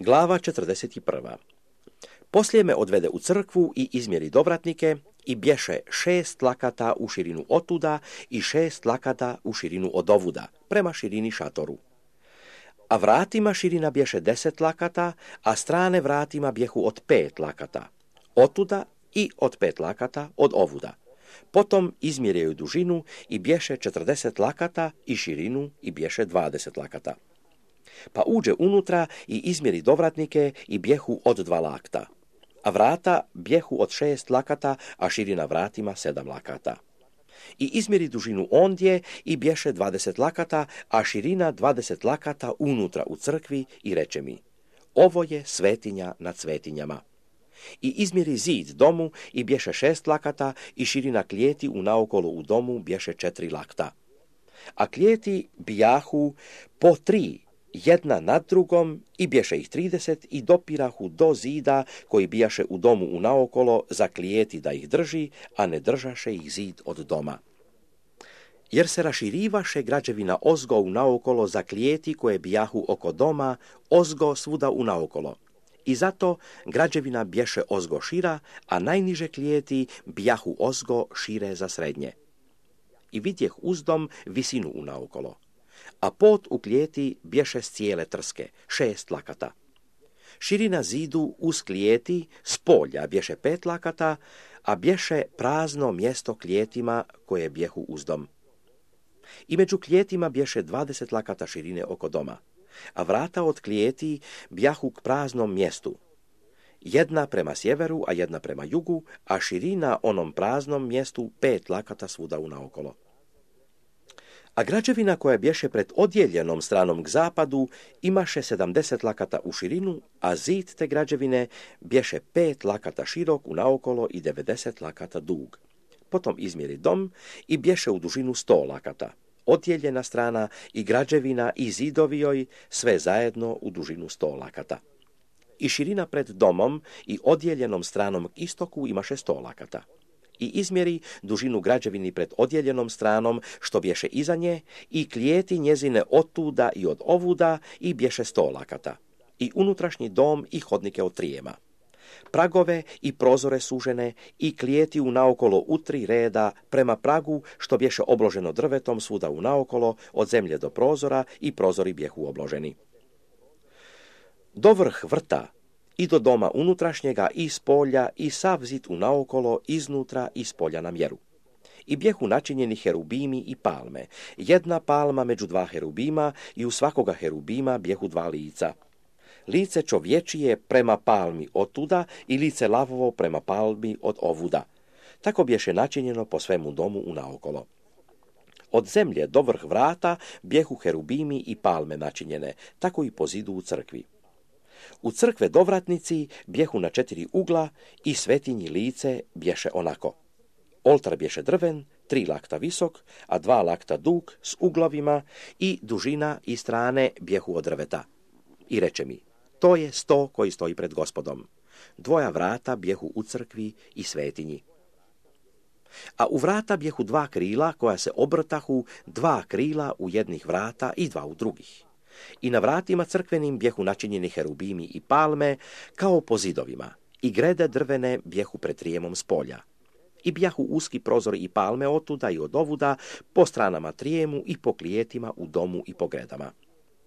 Glava 41. Poslije me odvede u crkvu i izmjeri dovratnike i bješe 6 lakata u širinu otuda i 6 lakata u širinu odovuda, prema širini šatoru. A vratima širina bješe 10 lakata, a strane vratima bjehu od 5 lakata, otuda i od 5 lakata od ovuda. Potom izmjerjaju dužinu i bješe 40 lakata i širinu i bješe 20 lakata. Pa uđe unutra i izmjeri dovratnike i bjehu od 2 lakta, a vrata bjehu od 6 lakata, a širina vratima 7 lakata. I izmjeri dužinu ondje i bješe 20 lakata, a širina 20 lakata unutra u crkvi i reče mi: ovo je svetinja nad svetinjama. I izmjeri zid domu i bješe 6 lakata i širina klijeti unaokolo u domu bješe 4 lakta. A klijeti bijahu po 3, jedna nad drugom, i bješe ih 30 i dopirahu do zida koji bijaše u domu unaokolo za klijeti da ih drži, a ne držaše ih zid od doma. Jer se raširivaše građevina ozgo unaokolo za klijeti koje bijahu oko doma, ozgo svuda unaokolo. I zato građevina bješe ozgo šira, a najniže klijeti bijahu ozgo šire za srednje. I vidjeh uzdom visinu unaokolo. A pod u klijeti bješe s cijele trske, 6 lakata. Širina zidu uz klijeti s polja bješe 5 lakata, a bješe prazno mjesto klijetima koje bjehu uzdom. I među klijetima bješe 20 lakata širine oko doma, a vrata od klijeti bjahu k praznom mjestu. Jedna prema sjeveru, a jedna prema jugu, a širina onom praznom mjestu 5 lakata svuda unaokolo. A građevina koja bješe pred odjeljenom stranom k zapadu imaše 70 lakata u širinu, a zid te građevine bješe 5 lakata širok unaokolo i 90 lakata dug. Potom izmjeri dom i bješe u dužinu 100 lakata. Odjeljena strana i građevina i zidovi joj sve zajedno u dužinu 100 lakata. I širina pred domom i odjeljenom stranom k istoku imaše 100 lakata. I izmjeri dužinu građevini pred odjeljenom stranom što bješe iza nje i klijeti njezine otuda i od ovuda i bješe 100 lakata. I unutrašnji dom i hodnike od trijema. Pragove i prozore sužene i klijeti unaokolo u 3 reda prema pragu što bješe obloženo drvetom svuda unaokolo od zemlje do prozora i prozori bjehu obloženi. Do vrh vrta i do doma unutrašnjega i s polja i sav zid unaokolo iznutra i s polja na mjeru. I bjehu načinjeni herubimi i palme, jedna palma među 2 herubima i u svakoga herubima bjehu 2 lica. Lice čovječije prema palmi otuda i lice lavovo prema palmi od ovuda. Tako bješe načinjeno po svemu domu unaokolo. Od zemlje do vrh vrata bjehu herubimi i palme načinjene, tako i po zidu u crkvi. U crkve dovratnici bjehu na 4 ugla i svetinji lice bješe onako. Oltar bješe drven, 3 lakta visok, a 2 lakta dug s uglovima i dužina i strane bjehu od drveta. I reče mi: to je sto koji stoji pred Gospodom. 2 vrata bjehu u crkvi i svetinji. A u vrata bjehu 2 krila koja se obrtahu, 2 krila u jednih vrata i 2 u drugih. I na vratima crkvenim bjehu načinjeni herubimi i palme kao po zidovima, i grede drvene bjehu pred trijemom s polja. I bjahu uski prozori i palme otuda i od ovuda po stranama trijemu i po klijetima u domu i po gredama.